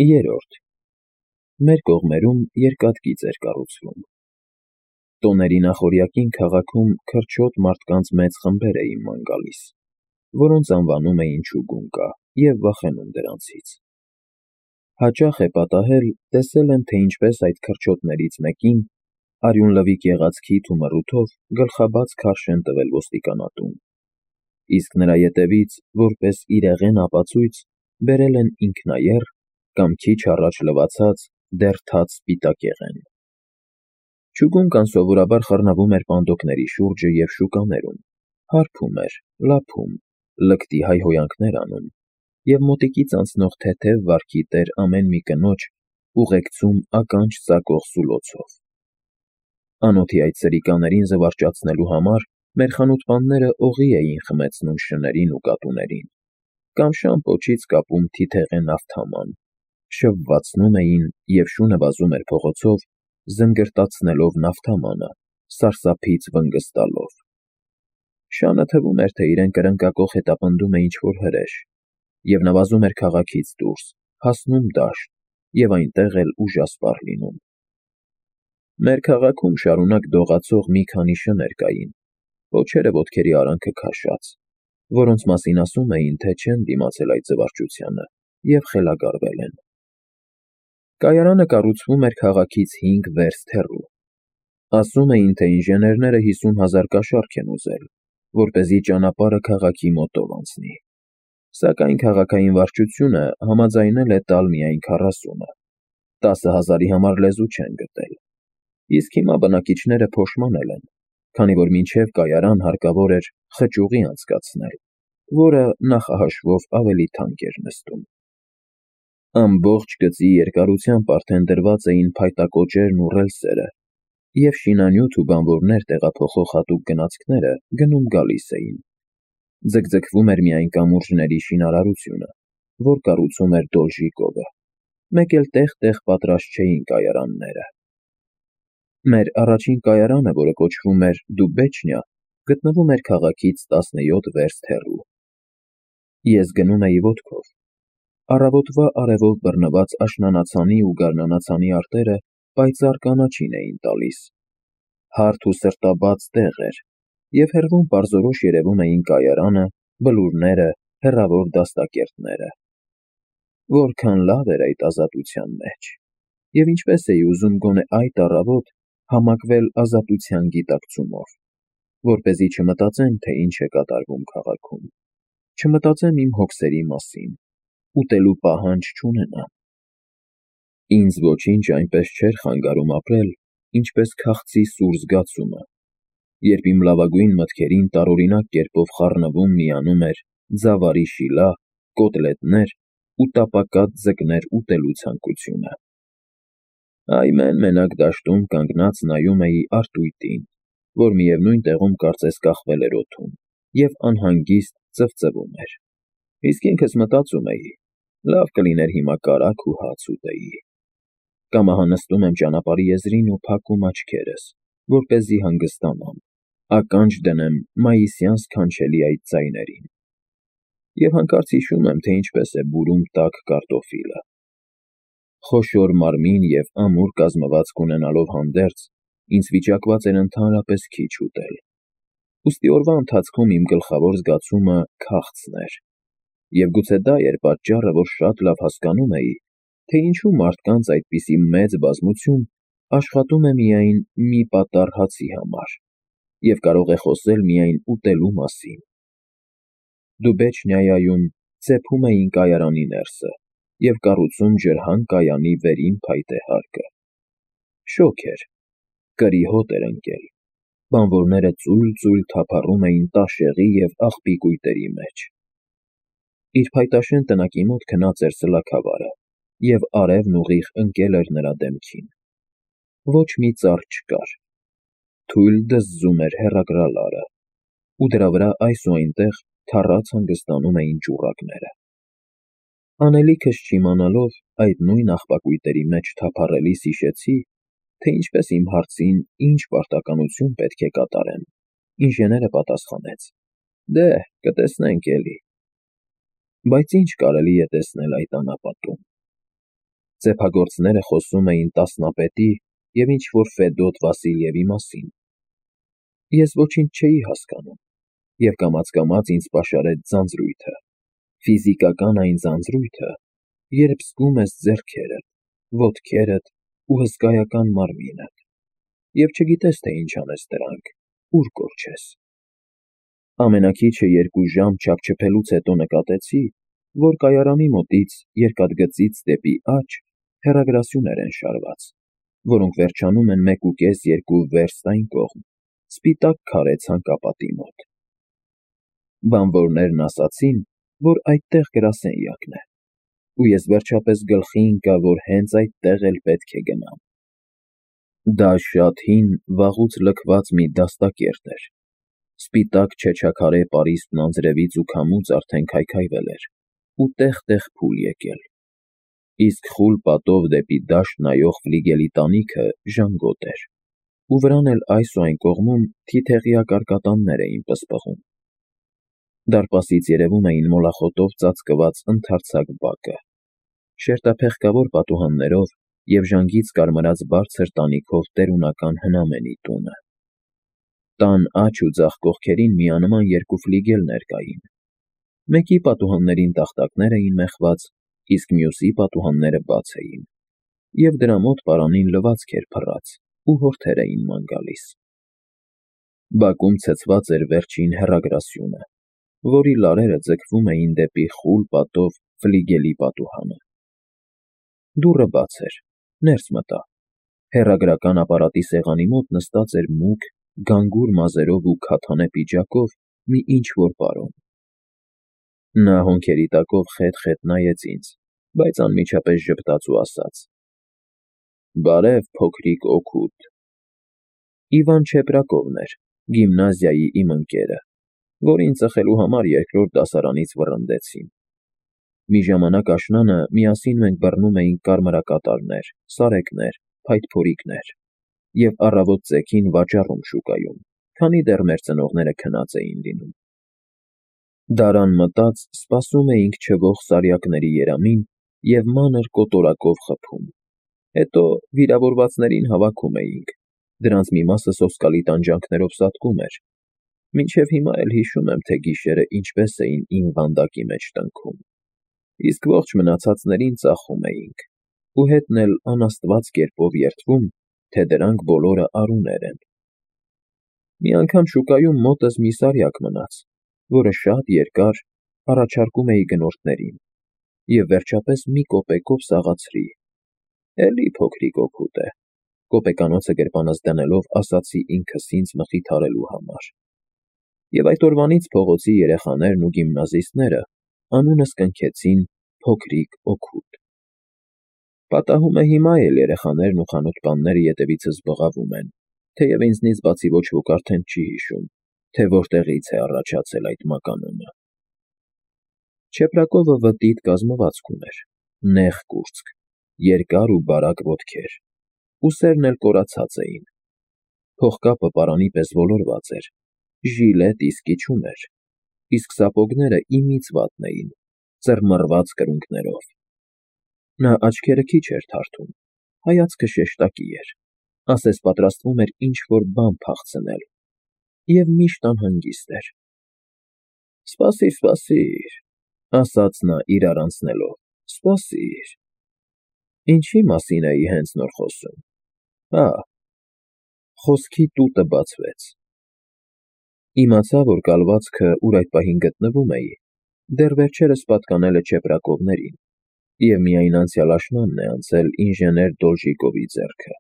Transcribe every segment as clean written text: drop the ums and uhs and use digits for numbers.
Երրորդ. Մեր կողմերում երկաթգիծ էր կառուցվում։ Տոների նախօրյակին քաղաքում քրչոտ մարդկանց մեծ խմբեր էին ման գալիս, որոնց անվանում էին չուգունկա և վախենում դրանցից։ Հաճախ է պատահել, տեսել եմ, թե ինչպես այդ քրչոտներից մեկին, արյունլվիկ եղած քիթ ու մռութով գլխաբաց քարշ են տվել ոստիկանատուն, իսկ նրա ետևից, որպես իրեղեն ապացույց, բերել են ինքնաեռ կամ քիչ առաջ լվացած, դեռ թաց սպիտակեղեն։ Չուգունկան սովորաբար խռնվում էր պանդոկների շուրջը և շուկաներում, հարբում էր, լափում, լկտի հայհոյանքներ անում և մոտիկից անցնող թեթև վարքի տեր ամեն մի կնոջ ուղեկցում ականջ ծակող սուլոցով։ Անոթի այդ սրիկաներին զվարճացնելու համար մեր խանութպանները օղի էին խմեցնում շներին ու կատուներին, կամ շան պոչից կապում թիթեղե նավթաման, շվվացնում էին, և շունը վազում էր փողոցով, զնգրտացնելով նավթամանը, սարսափից վնգստալով։ Շանը թվում էր, թե իրեն կրնկակոխ հետապնդում է ինչ-որ հրեշ, և նա վազում էր քաղաքից դուրս, հասնում դաշտ և այնտեղ էլ ուժասպառ լինում։ Մեր քաղաքում շարունակ դողացող մի քանի շներ կային, պոչերը ոտքերի արանքը քաշած, որոնց մասին ասում էին, թե չեն դիմացել այդ զվարճությանը և խելագարվել են։ Կայարանը կառուցվում էր քաղաքից 5 վերստ հեռու։ Ասում էին, թե ինժեներները 50,000 կաշառք են ուզել, որպեսզի ճանապարհը քաղաքի մոտով անցնի, սակայն քաղաքային վարչությունը համաձայնել է տալ միայն 40-ը, 10,000-ի համար լեզու չեն գտել, իսկ հիմա բնակիչները փոշմանել են, քանի որ մինչև կայարան հարկավոր էր խճուղի անցկացնել, որը նախահաշվով ավելի թանկ էր նստում։ Ամբողջ գծի երկարությամբ արդեն դրված էին փայտակոճերն ու ռելսերը, և շինանյութ ու բանվորներ տեղափոխող հատուկ գնացքները գնում-գալիս էին։ Ձգձգվում էր միայն կամուրջների շինարարությունը, որ կառուցում էր Դոլժիկովը, մեկ էլ տեղ-տեղ պատրաստ չէին կայարանները։ Մեր առաջին կայարանը, որը կոչվում էր Դուբեչնիա, գտնվում էր քաղաքից 17 վերստ հեռու։ Ես գնում էի ոտքով։ Առավոտվա արևով բռնված աշնանացանի ու գարնանացանի արտերը պայծառ կանաչին էին տալիս։ Հարթ ու սրտաբաց տեղ էր, և հեռվում պարզորոշ երևում էին կայարանը, բլուրները, հեռավոր դաստակերտները։ Որքան լավ էր այդ ազատության մեջ, և ինչպես էի ուզում գոնե այդ առավոտ համակվել ազատության գիտակցումով, որպեսզի չմտածեմ, թե ինչ է կատարվում քաղաքում, չմտածեմ իմ հոգսերի մասին, ուտելու պահանջ չունենամ։ Ինձ ոչինչ այնպես չէր խանգարում ապրել, ինչպես քաղցի սուր զգացումը, երբ իմ լավագույն մտքերին տարօրինակ կերպով խառնվում միանում էր ձավարի շիլա, կոտլետներ ու տապակած ձկներ ուտելու ցանկությունը։ Այմեն մենակ դաշտում կանգնած նայում էի արտույտին, որ միևնույն տեղում կարծես կախվել էր օդում, և անհանգիստ ծվծվում էր, իսկ ինքս մտածում էի. լավ կլիներ հիմա կարագ ու հաց ուտեի։ Կամ ահա նստում եմ ճանապարհի եզրին ու փակում աչքերս, որպեսզի հանգստանամ, ականջ դնեմ մայիսյան սքանչելի այդ ձայներին։ Եվ հանկարծ հիշում եմ, թե ինչպես է բուրում տաք կարտոֆիլը։ Խոշոր մարմին և ամուր կազմվածք ունենալով հանդերձ, ինձ վիճակված էր ընդհանրապես քիչ ուտել։ Ուստի օրվա ընթացքում իմ գլխավոր զգացումը քաղցն էր, և գուցե դա էր պատճառը, որ շատ լավ հասկանում էի, թե ինչու մարդկանց այդպիսի մեծ բազմություն աշխատում է միայն մի պատառ հացի համար և կարող է խոսել միայն ուտելու մասին։ Դուբեչնիայում ծեփում էին կայարանի ներսը և կառուցում ջրհան կայանի վերին փայտե հարկը։ Շոգ էր, կրի հոտ էր ընկել, բանվորները ծույլ-ծույլ թափառում էին տաշեղի և աղբի կույտերի մեջ։ Իր փայտաշեն տնակի մոտ քնած էր սլաքավարը, և արևն ուղիղ ընկել էր նրա դեմքին։ Ոչ մի ծառ չկար։ Թույլ դզզում էր հեռագրալարը, ու դրա վրա այս ու այնտեղ թառած հանգստանում էին ճուռակները։ Անելիքս չիմանալով այդ նույն աղբակույտերի մեջ թափառելիս հիշեցի, թե ինչպես իմ հարցին ինչ պարտականություն պետք է կատարեմ, ինժեները պատասխանեց. «Դե, կտեսնենք էլի»։ Բայց ինչ կարելի է տեսնել այդ անապատում։ Ծեփագործները խոսում էին տասնապետի և ինչ-որ Ֆեդոտ Վասիլյևի մասին։ Ես ոչինչ չէի հասկանում, և կամաց-կամաց ինձ պաշարեց ձանձրույթը, ֆիզիկական այն ձանձրույթը, երբ զգում ես ձեռքերդ, ոտքերդ ու հսկայական մարմինդ, և չգիտես, թե ինչ անես դրանք, ուր կորչես։ Ամենաքիչը 2 ժամ չափչփելուց հետո նկատեցի, որ կայարանի մոտից երկաթգծից դեպի աջ հեռագրասյուներ են շարված, որոնք վերջանում են 1,5-2 վերստ այն կողմ, սպիտակ քարե ցանկապատի մոտ։ Բանվորներն ասացին, որ այդտեղ գրասենյակն է, ու ես վերջապես գլխի ընկա, որ հենց այդտեղ էլ պետք է գնամ։ Դա շատ հին, վաղուց լքված մի դաստակերտ էր։ Սպիտակ չեչաքարե պարիսպն անձրևից ու քամուց արդեն քայքայվել էր ու տեղ-տեղ փուլ եկել, իսկ խուլ պատով դեպի դաշտ նայող ֆլիգելի տանիքը ժանգոտ էր, ու վրան էլ այս ու այն կողմում թիթեղյա կարկատաններ էին պսպղում։ Դարպասից երևում էին մոլախոտով ծածկված ընդարձակ բակը, շերտափեղկավոր պատուհաններով և ժանգից կարմրած բարձր տանիքով տերունական հնամենի տունը։ Տան աջ ու ձախ կողքերին միանման 2 ֆլիգելներ կային։ Մեկի պատուհաններին տախտակներ էին մեխված, իսկ մյուսի պատուհանները բաց էին, և դրա մոտ պարանին լվացք էր փռած ու հորթեր էին ման գալիս։ Բակում ցցված էր վերջին հեռագրասյունը, որի լարերը ձգվում էին դեպի խուլ պատով ֆլիգելի պատուհանը։ Դուռը բաց էր, ներս մտա։ Հեռագրական ապարատի սեղանի մոտ նստած էր մուգ, գանգուր մազերով ու քաթանե պիջակով մի ինչ-որ պարոն։ Նա հոնքերի տակով խետ-խետ նայեց ինձ, բայց անմիջապես ժպտաց ու ասաց. «Բարև, փոքրիկ օգուտ»։ Իվան Չեպրակովն էր, գիմնազիայի իմ ընկերը, որին ծխելու համար 2-րդ դասարանից վռնդեցին։ Մի ժամանակ աշնանը միասին մենք բռնում էինք կարմրակատարներ, սարեկներ, փայտփորիկներ և առավոտ ծեքին վաճառում շուկայում, քանի դեռ մեր ծնողները քնած էին լինում։ Դարան մտած սպասում էինք չվող սարյակների երամին և մանր կոտորակով խփում։ Հետո վիրավորվածներին հավաքում էինք, դրանց մի մասը սոսկալի տանջանքներով սատկում էր։ Մինչև հիմա էլ հիշում եմ, թե գիշերը ինչպես էին իմ վանդակի մեջ տնքում, իսկ ողջ մնացածներին ծախում էինք, ու հետն էլ անաստված կերպով երդվում, թե դրանք բոլորը արուներ են։ Մի անգամ շուկայում մոտս մի սարյակ մնաց, որը շատ երկար առաջարկում էի գնորդներին, և վերջապես մի կոպեկով սաղացրի։ Էլի փոքրիկ օգուտ է, կոպեկանոցը գրպանս դնելով ասացի ինքս ինձ մխիթարելու համար։ Եվ այդ օրվանից փողոցի երեխաներն ու գիմնազիստները անունս կնքեցին փոքրիկ օգուտ։ Պատահում է հիմա էլ երեխաներն ու խանութպանները ետևիցս բղավում են, թեև ինձնից բացի ոչ ոք արդեն չի հիշում, թե որտեղից է առաջացել այդ մականունը։ Չեպրակովը վտիտ կազմվածք ուներ, նեղ կուրծք, երկար ու բարակ ոտքեր, ուսերն էլ կորացած էին։ Փողկապը պարանի պես ոլորված էր, ժիլետ իսկի չուներ, իսկ սապոգները իմից վատն էին, ծռմռված կրունկներով։ Նա աչքերը քիչ էր թարթում, հայացքը շեշտակի էր, ասես պատրաստվում էր ինչ-որ բան փախցնել, և միշտ անհանգիստ էր։ «Սպասիր, սպասիր», ասաց նա իրար անցնելով, «սպասիր»։ Ինչի մասին էի հենց նոր խոսում։ Հա, խոսքի տուտը բացվեց։ Իմացա, որ կալվածքը, ուր այդ պահին գտնվում էի, դեռ վերջերս պատկանել է Չեպրակովներին, և միայն անցյալ աշնանն է անցել ինժեներ Դոլժիկովի ձեռքը,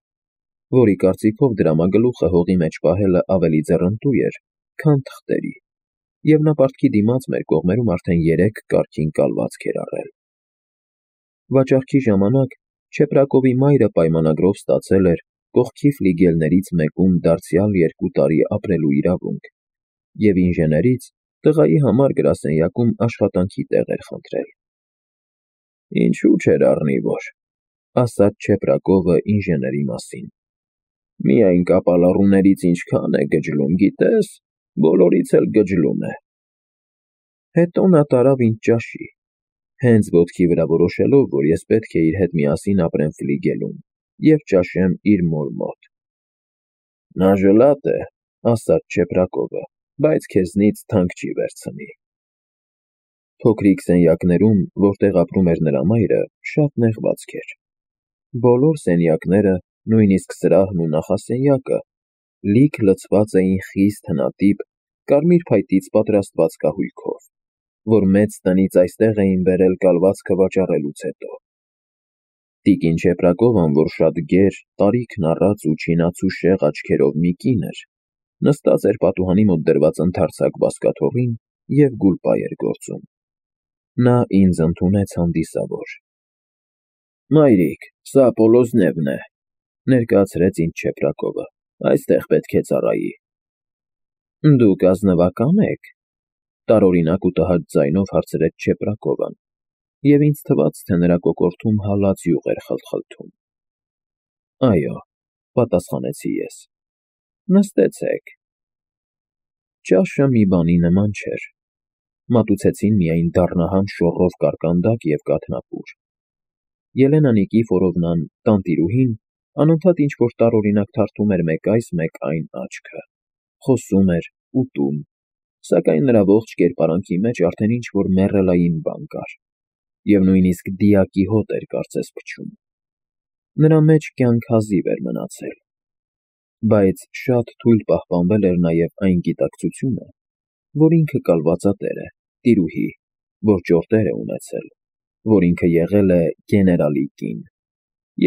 որի կարծիքով դրամագլուխը հողի մեջ պահելը ավելի ձեռնտու էր, քան թղթերի, և նա պարտքի դիմաց մեր կողմերում արդեն 3 կարգին կալվածք էր առել։ Վաճառքի ժամանակ Չեպրակովի մայրը պայմանագրով ստացել էր կողքի ֆլիգելներից մեկում դարձյալ 2 տարի ապրելու իրավունք, և ինժեներից տղայի համար գրասենյակում աշխատանքի տեղ էր խնդրել։ «Ինչու չէր առնի, որ», ասաց Չեպրակովը ինժեների մասին։ «Միայն կապալառուներից ինչքան է գջլում, գիտես, բոլորից էլ գջլում է»։ Հետո նա տարավ ինձ ճաշի, հենց ոտքի վրա որոշելով, որ ես պետք է իր հետ միասին ապրեմ ֆլիգելում և ճաշեմ իր մոր մոտ։ Նա ժլատ է, ասաց Չեփրակովը, բայց քեզնից թանկ չի վերցնի։ Փոքրիկ սենյակներում, որտեղ ապրում էր նրա մայրը, շատ նեղվածք էր։ Բոլոր սենյակները, նույնիսկ սրահն ու նախասենյակը, լիք լցված էին խիստ հնատիպ, կարմիր փայտից պատրաստված կահույքով, որ մեծ տնից այստեղ էին բերել կալվածքը վաճառելուց հետո։ Տիկին Չեփրակովան, որ շատ գեր, տարիքն առած ու չինացուշեղ աչքերով մի կին էր, նստած էր պատուհանի մոտ դրված ընդարձակ բազկաթոռին և գուլպա էր գործում։ Նա ինձ ընդունեց հանդիսավոր։ Մայրիկ, սա Պոլոզնևն է, ներկայացրեց ինձ Չեփրակովը, այստեղ պետք է ծառայի։ Դուք ազնվակա՞ն եք, տարօրինակ ու տհաճ ձայնով հարցրեց Չեփրակովան, և ինձ թվաց, թե նրա կոկորդում հալած յուղ էր խլխլթում։ Այո, պատասխանեցի ես։ Նստեցեք։ Ճաշը մի բանի նման չէր։ Մատուցեցին միայն դառնահամ շոռով կարկանդակ և կաթնապուր։ Ելենա Նիկիֆորովնան, տանտիրուհին, անընդհատ ինչ-որ տարօրինակ թարթում էր մեկ այս, մեկ այն աչքը, խոսում էր, ուտում, սակայն նրա ողջ կերպարանքի մեջ արդեն ինչ-որ մեռելային բան կար, և նույնիսկ դիակի հոտ էր կարծես փչում։ Նրա մեջ կյանք հազիվ էր մնացել։ Բայց շատ թույլ պահպանվել էր նաև այն գիտակցությունը, որ ինքը կալվածատեր է, տիրուհի, որ ճորտեր է ունեցել, որ ինքը եղել է գեներալի կին,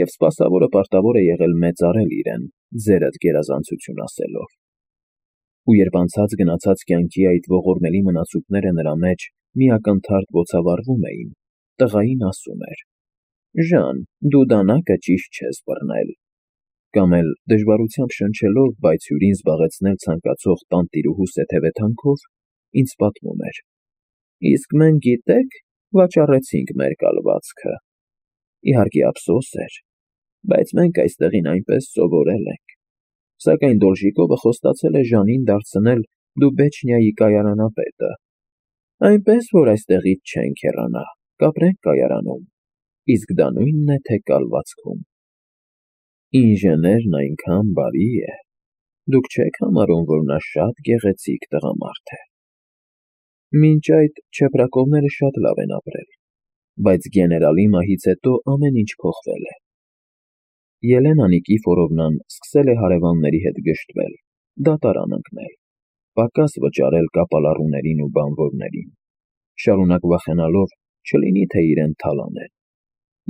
և սպասավորը պարտավոր է եղել մեծարել իրեն, ձերդ գերազանցություն ասելով։ Ու երբ անցած գնացած կյանքի այդ ողորմելի մնացուկները նրա մեջ մի ակնթարթ բոցավառվում էին, տղային ասում էր. «Ժան, դու դանակը ճիշտ չես բռնել», կամ էլ դժվարությամբ շնչելով, բայց հյուրին զբաղեցնել ցանկացող տանտիրուհու սեթևեթանքով, ինձ պատմում էր. «Իսկ մենք, գիտեք, վաճառեցինք մեր կալվածքը։ Իհարկե ափսոս էր, բայց մենք այստեղին այնպես սովորել ենք։ Սակայն Դոլժիկովը խոստացել է Ժանին դարձնել Դուբեչնիայի կայարանապետը, այնպես որ այստեղից չենք հեռանա, կապրենք կայարանում, իսկ դա նույնն է, թե կալվածքում։ Ինժեներն այնքան բարի է, դուք չեք համարում, որ նա շատ գեղեցիկ տղամարդ է»։ Մինչ այդ Չեփրակովները շատ լավ են ապրել, բայց գեներալի մահից հետո ամեն ինչ փոխվել է։ Ելենա Նիկիֆորովնան սկսել է հարևանների հետ գժտվել, դատարան ընկնել, պակաս վճարել կապալառուներին ու բանվորներին, շարունակ վախենալով, չլինի թե իրեն թալանեն,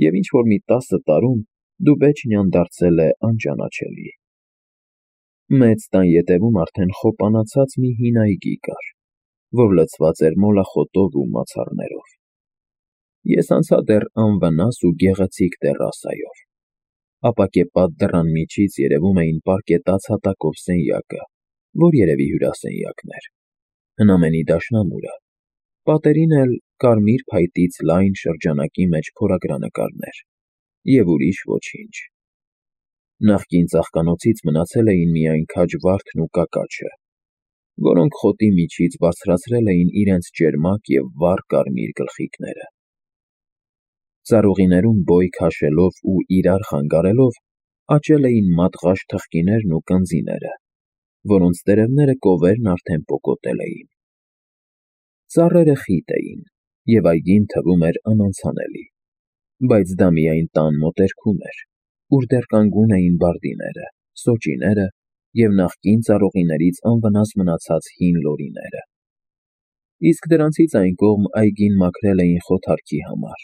և ինչ-որ մի 10 տարում Դուբեչնիան դարձել է անճանաչելի։ Մեծ տան ետևում արդեն խոպանացած մի հին այգի կար, որ լցված էր մոլախոտով ու մացառներով։ Ես անցա դեռ անվնաս ու գեղեցիկ տեռասայով։ Ապակեպատ դռան միջից երևում էին պարկետած հատակով սենյակը, որ երևի հյուրասենյակն էր, հնամենի դաշնամուրը, պատերին էլ կարմիր փայտից լայն շրջանակի մեջ փորագրանկարներ և ուրիշ ոչինչ։ Նախկին ծաղկանոցից մնացել էին միայն քաջ վարդն ու կակաչը, որոնք խոտի միջից բարձրացրել էին իրենց ճերմակ և վառ կարմիր գլխիկները։ Ծառուղիներում բոյ քաշելով ու իրար խանգարելով աճել էին մատղաշ թխկիներն ու կնձիները, որոնց տերևները կովերն արդեն պոկոտել էին։ Ծառերը խիտ էին, և այգին թվում էր անանցանելի, բայց դա միայն տան մոտերքում էր, ուր դեռ կանգուն էին բարդիները, սոճիները և նախկին ծառուղիներից անվնաս մնացած հին լորիները։ Իսկ դրանցից այն կողմ այգին մաքրել էին խոթարքի համար,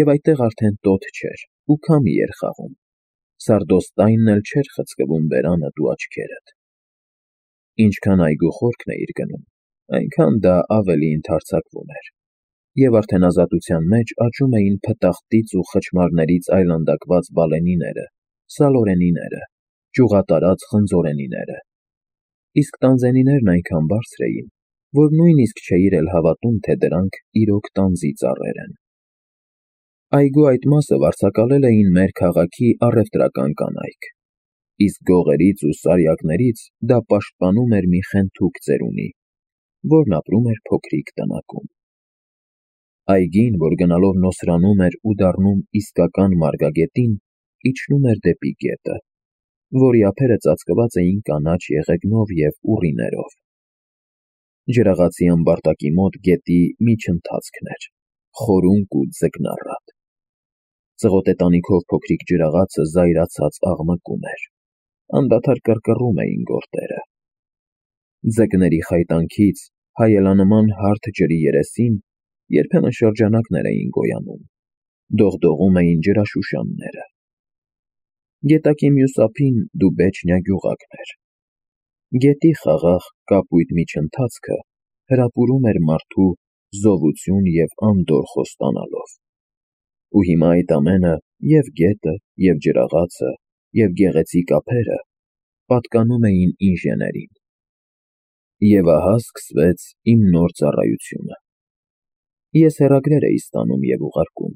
և այդտեղ արդեն տոթ չէր ու քամի էր խաղում, սարդոստայնն էլ չէր խցկվում բերանդ ու աչքերդ։ Ինչքան այգու խորքն էիր գնում, այնքան դա ավելի ընդարձակվում էր, և արդեն ազատության մեջ աճում էին փտախտից ու խչմարներից այլանդակված բալենիները, սալորենիները, ճյուղատարած խնձորենիները։ Իսկ տանձենիներն այնքան բարձր էին, որ նույնիսկ չէիր էլ հավատում, թե դրանք իրոք տանձի ծառեր են։ Այգու այդ մասը վարձակալել էին մեր քաղաքի առևտրական կանայք, իսկ գողերից ու սարյակներից դա պաշտպանում էր մի խենթուկ ծերունի, որն ապրում էր փոքրիկ տնակում։ Այգին, որ գնալով նոսրանում էր ու դառնում իսկական մարգագետին, իջնում էր դեպի գետը, որի ափերը ծածկված էին կանաչ եղեգնով և ուռիներով։ Ջրաղացի ամբարտակի մոտ գետի միջընթացքն էր, խորունկ ու ձկնառատ։ Ծղոտե տանիքով փոքրիկ ջրաղացը զայրացած աղմկում էր, անդադար կռկռում էին գորտերը։ Ձկների խայտանքից հայելանման հարթ ջրի երեսին երբեմն շրջանակներ էին գոյանում, դողդողում էին ջրաշուշանները։ Գետակի մյուս ափին Դուբեչնիա գյուղակն էր։ Գետի խաղաղ կապույտ միջընթացքը հրապուրում էր մարդու զովություն և անդորր խոստանալով։ Ու հիմա այդ ամենը, և գետը, և ջրաղացը, և գեղեցիկ ափերը պատկանում էին ինժեներին։ Եվ ահա սկսվեց իմ նոր ծառայությունը։ Ես հեռագրեր էի ստանում և ուղարկում,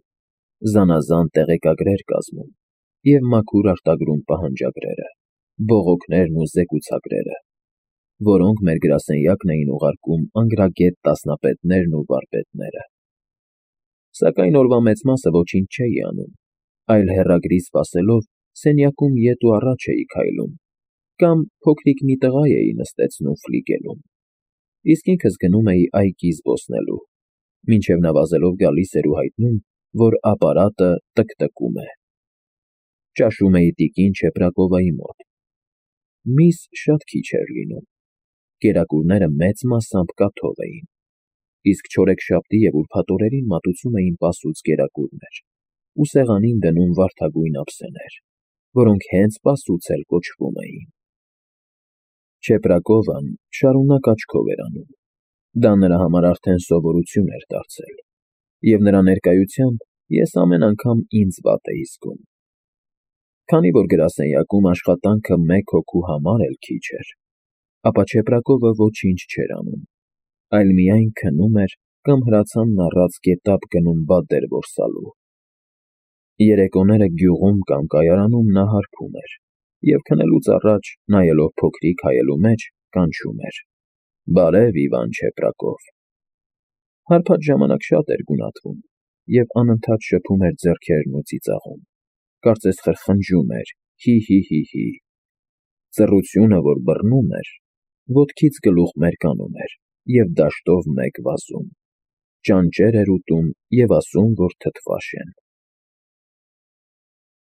զանազան տեղեկագրեր կազմում և մաքուր արտագրում պահանջագրերը, բողոքներն ու զեկուցագրերը, որոնք մեր գրասենյակն էին ուղարկում անգրագետ տասնապետներն ու վարպետները։ Սակայն օրվա մեծ մասը ոչինչ չէի անում, այլ հեռագրի սպասելով սենյակում ետ ու առաջ էի քայլում կամ փոքրիկ մի տղա էի նստեցնում ֆլիգելում, իսկ ինքս գնում էի այգի զբոսնելու, մինչև նա վազելով գալիս էր ու հայտնում, որ ապարատը տկտկում է։ Ճաշում էի տիկին Չեպրակովայի մոտ։ Միս շատ քիչ էր լինում, կերակուրները մեծ մասամբ կաթով էին, իսկ չորեքշաբթի և ուրբաթ օրերին մատուցում էին պասուծ կերակուրներ ու սեղանին դնում վարդագույն ափսեներ, որոնք հենց պասուծ էլ կոչվում էին։ Չեպրակովան շարունակ աչքով էր անում, դա նրա համար արդեն սովորություն էր դարձել, և նրա ներկայությամբ ես ամեն անգամ ինձ վատ էի զգում։ Քանի որ գրասենյակում աշխատանքը մեկ հոգու համար էլ քիչ էր, ապա Չեպրակովը ոչինչ չէր անում, այլ միայն քնում էր կամ հրացանն առած գետափ գնում բադեր որսալու։ Երեկոները գյուղում կամ կայարանում նա հարբում էր և քնելուց առաջ, նայելով փոքրիկ հայելու մեջ, կանչում էր. «Բարև, Իվան Չեպրակով»։ Հարբած ժամանակ շատ էր գունատվում և անընդհատ շփում էր ձեռքերն ու ծիծաղում, կարծես խրխնջում էր. «Հի՛, հի՛, հի՛, հի»։ Ծռությունը, որ բռնում էր, ոտքից գլուխ մերկանում էր և դաշտով մեկ վազում, ճանճեր էր ուտում և ասում, որ թթվաշ են։